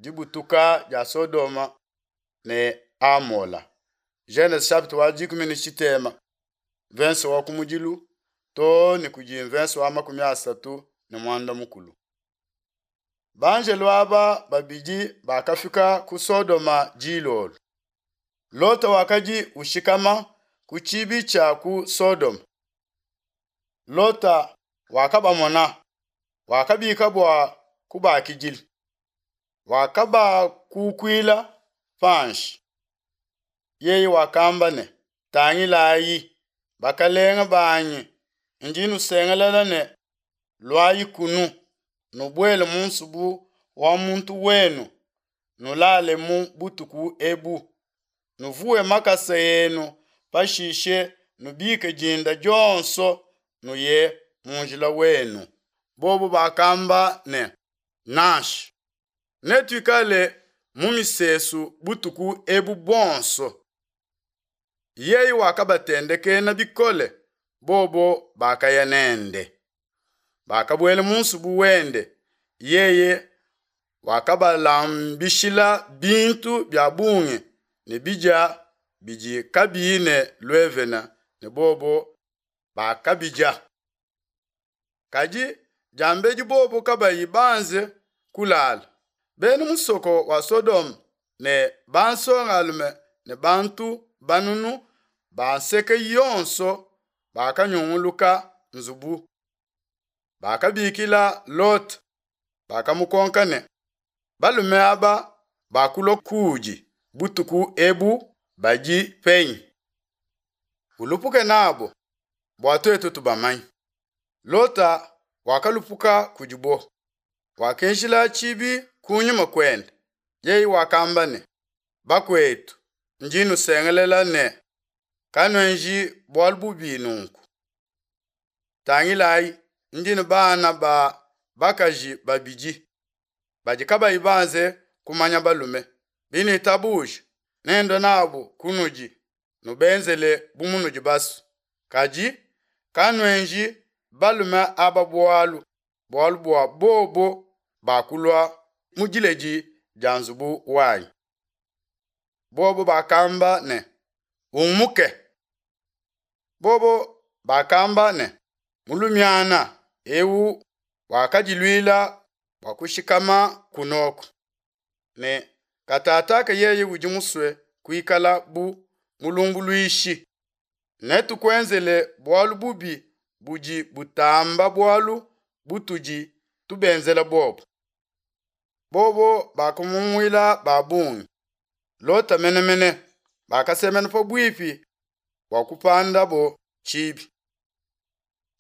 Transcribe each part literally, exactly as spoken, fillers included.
dibutuka dia Sodoma ne Amola. Genese chapitre wa dikumi ne tshitema mvense wa kumudilu too ne kudi mvense wa makumi asatu ne muanda mukulu. Banjelo aba babidi bakafika ku Sodoma dilolo. Lota wakadi ushikama ku tshibi tshia ku Sodoma. Lota wakabamona, wakabika bua kubakidila, wakabakukuila panshi. Yeye wakamba ne, Tangilayi, bakalenge banyi, ndi nusengelela ne, Luayi kunu, nubuele mu nsubu wa muntu wenu, nulalemu butuku ebu, nuvuwe makasa enu, pashishe nubike dinda dionso, nuye mu njila wenu. Bobo bakamba ne, Nansha, netuikale mu misesu butuku ebu buonso. Yeye wakabatendekena bikole, bobo bakaya nende. Bakabuela mu nsubu wende, yeye wakabalambishila bintu bia bungi ne bidia bidi kabiyi ne luevene, ne bobo bakabidia. Kadi diambedi bobo kabayi banze kulala, bena musoko wa Sodoma ne bansongalume ne bantu banunu ba nseke yonso bakanyunguluka nzubu. Bakabikila Lota, bakamukonka ne, Balume aba bakulua kuudi butuku ebu badi penyi? Ulupuke nabo, bua tuetu tubamanye. Lota wakalupuka kudibo, wakinjila tshibi kunyima kuende. Yeye wakamba ne, Bakuetu, ndi nusengelela ne, Kanuenji bualu bubi nunku. Tangilayi, ndi ne bana ba bakaji babidi badi kabayi banze kumanya balume. Binuitabuja, nendue nabo kunudi, nubenzele bu munudi basue. Kadi kanuenji balume aba bualu, bualu bua bobo bakulua mu diledi dia nzubu wanyi. Bobo bakamba ne, Umuke. Bobo bakamba ne, Mulumiana ewu wakadiluila bua kushikama kunoko, ne katataka yeye udi musue kuikala bu mulumbuluishi. Netukuenzele bualu bubi budi butamba bualu butudi tubenzela bobo. Bobo bakamunguila ba bungi, Lota mene mene, bakasemena pabuipi bua kupandabo tshibi.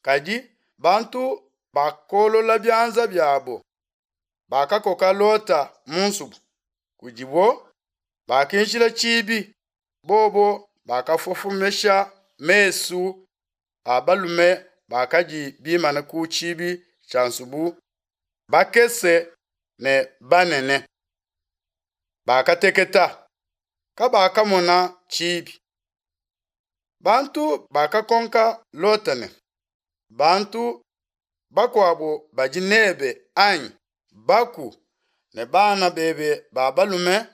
Kadi bantu bakolola bianza biabo, bakakoka Lota mu nsubu kudibo, bakinjila tshibi, bobo bakafofomesha mesu a balume bakadi bimane ku tshibi tshia nsubu, bakese ne banene. Bakateketa, kabakamona tshibi. Bantu bakakonka Lota ne, Bantu bakuabo badi nebe anyi? Baku ne bana bebe ba balume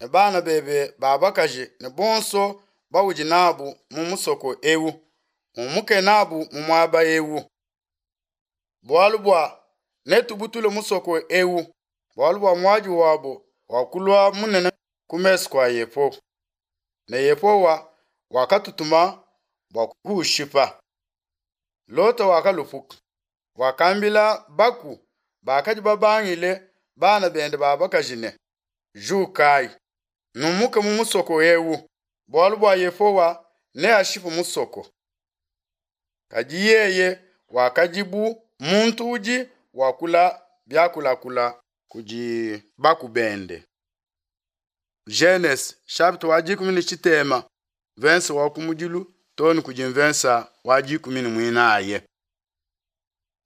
ne bana bebe ba bakaji ne bonso baudi nabu mu musoko ewu, umuke nabu mu muaba ewu. Bualu bua netubutule musoko ewu, bualu bua muadi wabo wakulua munene ku mesu kua Yehowa, ne Yehowa wakatutuma bua kuushipa. Lota wakalupuka, wakambila baku bakadi babangile bana bende ba bakaji ne, Jukayi, numuke mu musoko ewu, bualu bua Yehowa neashipe musoko. Kadi yeye wakadi bu muntu udi wakula biakulakula kudi baku bende. Genese chapitre wa dikumi ne tshitema mvensa wa kumudilu too ne kudi mvensa wa dikumi ne muinayi.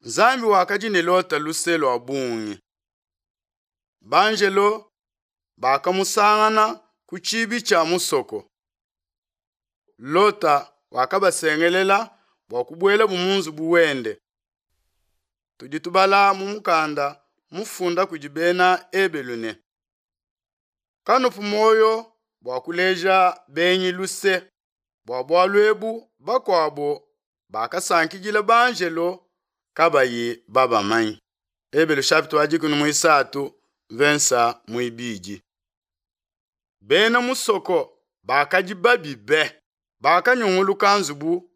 Nzambi wakadi ne Lota luse lua bungi. Banjelo bakamusangana ku tshibi tshia musoko. Lota wakabasengelela bua kubuelabu mu nzubu wende. Tudi tubala mu mukanda mufunda kudi bena Ebelu ne, Kanupu muoyo bua kuleja benyi luse, bua bualu ebu bakuabo bakasankidila banjelo kabayi babamanye. Ebelu chapitre wa dikumi muisatu mvensa muibidi. Bena musoko bakadi babi be, bakanyunguluka nzubu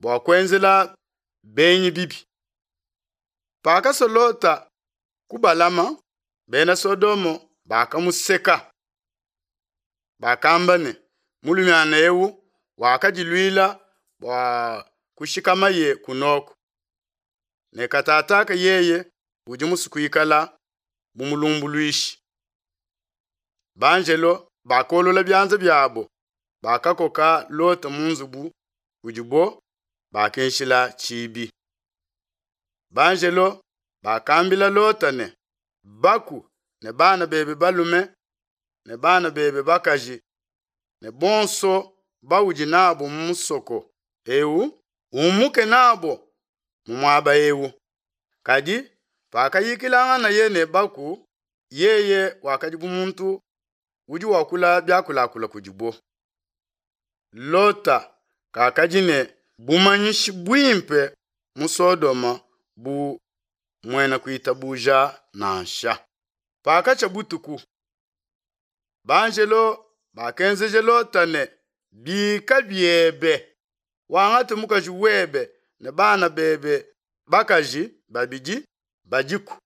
bua kuenzela benyi bibi. Pakasua Lota kubalama, bena Sodomo bakamuseka. Bakamba ne, mulumiana eu wakadiluila bua kushikamaye kunoko. Ne katataka yeye udi musue kuikala bu mulumbuluishi. Banjelo bakolola bianza biabo, bakakoka Lota mu nzubu kudibo bakinshila tshibi. Banjelo bakambila Lota ne, baku ne bana bebe balume ne bana bebe bakaji ne bonso baudi nabo mu musoko eu, umuke nabo mu muaba eu. Kadi pakayikilanganaye ne baku, yeye wakadi bu muntu udi wakula biakulakula kudibo. Lota kakadi ne bumanyishi buimpe mu Sodoma bu muena kuitabuja nansha. Pakatshia butuku, banjelo bakenzeja Lota ne, bika biebe, wangate mukaji webe ne bana bebe bakaji babidi badiku,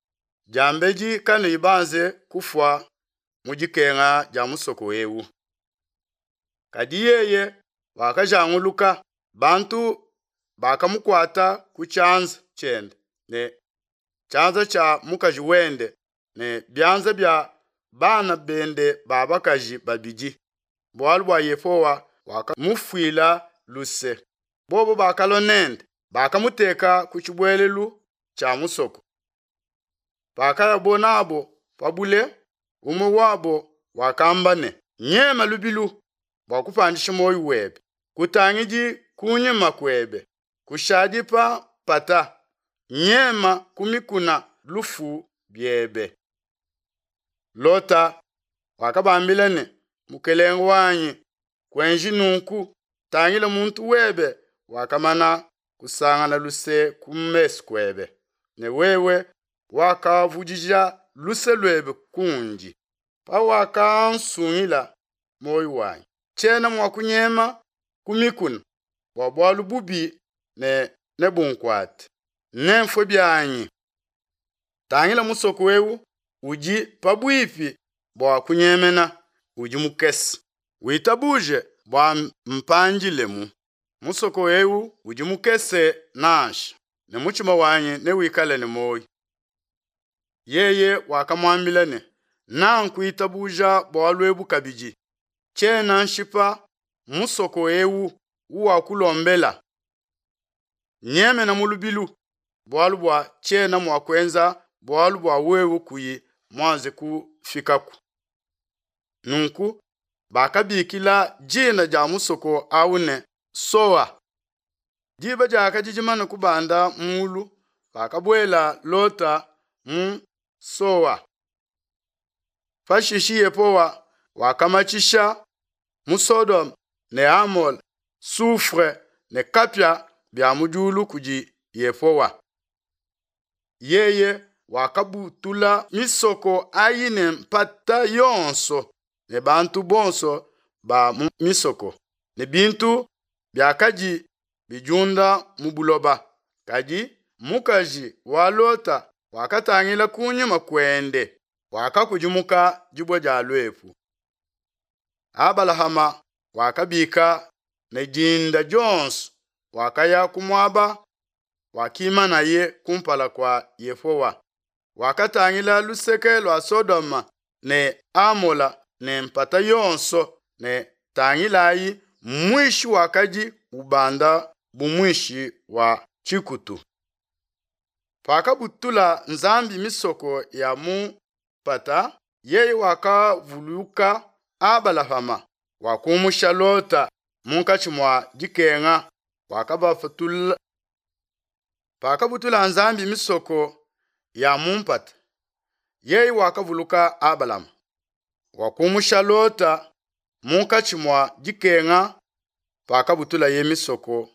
diambedi kanuyi banze kufua mu dikenga dia musoko eu. Kadi yeye wakajanguluka, bantu bakamukuata ku tshianza tshiende ne tshianza tshia mukaji wende ne bianza bia bana bende ba bakaji babidi, bualu bua Yehowa wakamufuila luse. Bobo bakalua nende, bakamuteka ku tshibuelelu tshia musoko. Pakayabo nabo pa bule, umue wabo wakamba ne, nyema lubilu bua kupandisha muoyo webe, kutangidi kunyima kuebe, kushadi pa mpata, nyema ku mikuna lufu biebe. Lota wakabambila ne, mukelenge wanyi, kuenji nunku, tangila muntu webe wakamana kusangana luse ku mesu kuebe, ne wewe wakavudija luse luebe kundi, pawakansungila muoyo wanyi. Tshiena mua kunyema ku mikuna bua bualu bubi ne nebunkuate, nemfue bianyi. Tangila musoko eu udi pabuipi bua kunyemena, udi mukese. Witabuje bua mpandilemu. Musoko eu udi mukese nansha, ne mutshima wanyi newikale ne muoyo. Yeye wakamuambila ne, nankuitabuja bualu ebu kabidi, tshiena nshipa musoko eu uwakulombela. Nyemena mu lubilu, bualu bua tshiena mua kuenza bualu bua wewe kuyi muanze kufikaku. Nunku bakabikila dina dia musoko au ne Soa. Diba diakadi dimane kubanda mulu, pakabuela Lota mu Soa. Pashishe Yehowa wakamatshisha mu Sodome ne Amola soufre ne kapia bia mu diulu kudi Yehowa. Yeye wakabutula misoko ayi ne mpata yonso ne bantu bonso ba mu misoko ne bintu biakadi bidiunda mu buloba. Kadi mukaji wa Lota wakatangila kunyima kuende, wakakudimuka dibue dia luepu. Abalahama wakabika ne dinda dionso, wakaya ku muaba wakimanaye kumpala kua Yehowa. Wakatangila luseke lua Sodoma ne Amola ne mpata yonso ne tangilayi muishi wakadi ubanda bu muishi wa tshikutu. Pakabutula Nzambi misoko ya mu mpata, yeye wakavuluka Abalahama, wakumusha Lota munkatshi mua dikenga, wakabapatula. Pakabutula Nzambi misoko ya mu mpata, yeye wakavuluka Abalama, Wakumusha Lota munkatshi mua dikenga pakabutulaye misoko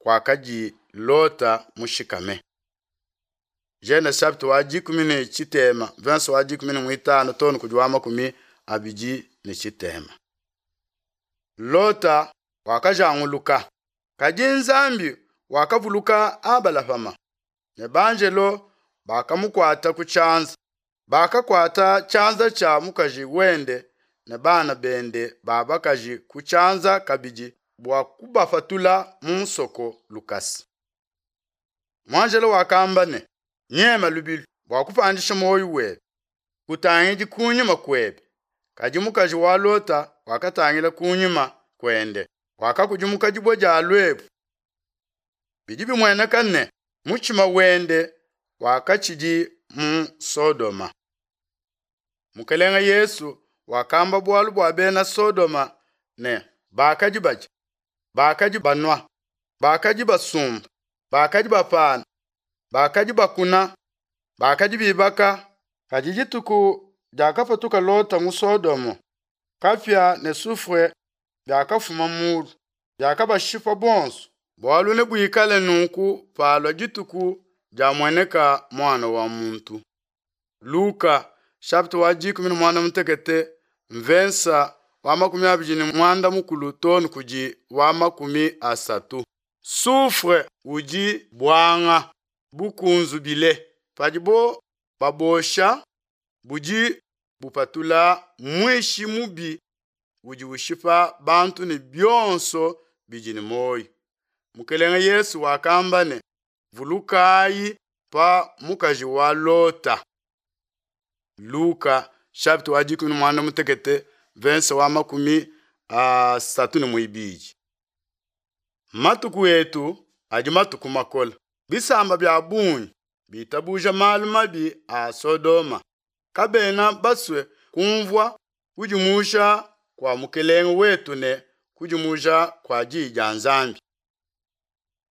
kuakadi Lota mushikame. Genese chapitre wa dikumi ne tshitema verse wa dikumi ne muitanu too ne kudi wa makumi abidi ne tshitema. Lota wakajanguluka, kadi Nzambi wakavuluka Abalahama ne banjelo bakamukuata ku tshianza. Bakakuata tshianza tshia mukaji wende ne bana bende ba bakaji ku tshianza kabidi bua kubapatula mu musoko lukasa. Muanjelo wakamba ne, nyema lubilu bua kupandisha muoyo webe, kutangidi kunyima kuebe. Kadi mukaji wa Lota wakatangila kunyima kuende, wakakudimuka dibue dia luepu. Bidi bimueneka ne, mutshima wende wakatshidi mu Sodoma. Mukelenge Yesu wakamba bualu bua bena Sodoma ne, bakadi badia, bakadi banua, bakadi basumba, bakadi bapana, bakadi bakuna, bakadi bibaka. Kadi dituku diakapatuka Lota mu Sodomo, kapia ne soufre biakafuma mulu, biakabashipa bonso. Bualu nebuikale nunku palua dituku diamueneka Muana wa muntu. Luka chapitre wa dikumi ne muanda mutekete mvensa wa makumi abidi ne muanda mukulu too ne kudi wa makumi asatu. Soufre udi buanga bukunzubile padibo babosha budi bupatula muishi mubi udi ushipa bantu ne bionso bidi ne muoyo. Mukelenge Yesu wakamba ne, vulukayi pa mukaji wa Lota. Luka chapitre wa dikumi ne muanda mutekete verse wa makumi asatu ne muibidi. Matuku etu adi matuku makole. Bisamba bia bungi bitabuja malu mabi a Sodoma. Kabena basue kumvua kudimusha kua Mukelenge wetu ne kudimuja kua Diyi dia Nzambi.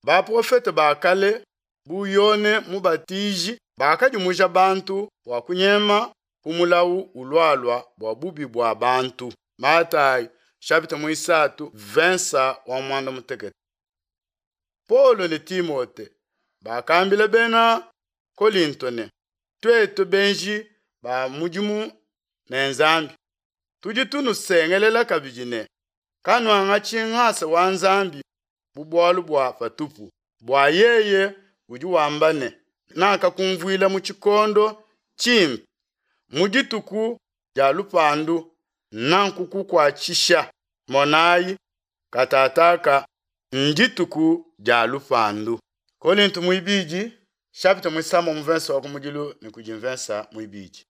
Baprofete ba kale bu Yone Mubatiji bakadimuja bantu bua kunyema ku mulawu ulualua bua bubi bua bantu. Matayi chapitre muisatu verse wa muanda mutekete. Paulo ne Timote bakambila bena Kolinto ne, tuetu benji ba mudimu ne Nzambi tudi tunusengelela kabidi ne, kanuangatshi ngasa wa Nzambi bu bualu bua patupu, bua yeye udi wamba ne, nakakumvuila mu tshikondo tshimpe, mu dituku dia lupandu nankukukuatshisha. Monayi, katataka ndituku dia lupandu. Kolinto muibidi chapitre muisamba mu verse wa kumudilu ne kudi mvensa muibidi.